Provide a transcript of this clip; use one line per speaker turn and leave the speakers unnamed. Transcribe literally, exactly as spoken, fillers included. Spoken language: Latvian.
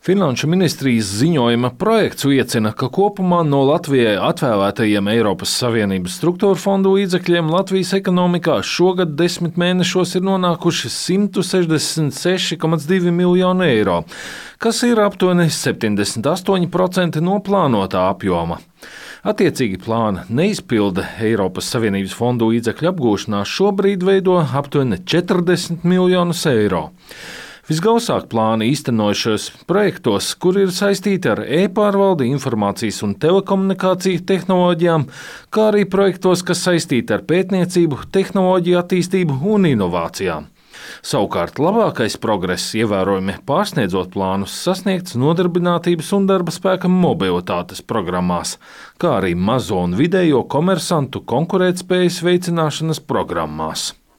Finanšu ministrijas ziņojuma projekts liecina, ka kopumā no Latvijai atvēlētajiem Eiropas Savienības struktūra fondu līdzekļiem Latvijas ekonomikā šogad desmit mēnešos ir nonākuši simt sešdesmit seši komats divi miljoni eiro, kas ir aptuveni septiņdesmit astoņi procenti no plānotā apjoma. Attiecīgi plāna neizpilde Eiropas Savienības fondu līdzekļu apgūšanā šobrīd veido aptuveni četrdesmit miljonus eiro. Visgausāk plāni īstenojušos projektos, kur ir saistīti ar e-pārvaldi, informācijas un telekomunikāciju tehnoloģijām, kā arī projektos, kas saistīti ar pētniecību, tehnoloģiju attīstību un inovācijām. Savukārt labākais progress, ievērojami pārsniedzot plānus, sasniegts nodarbinātības un darba spēka mobilitātes programmās, kā arī mazo un vidējo komersantu konkurētspējas veicināšanas programmās.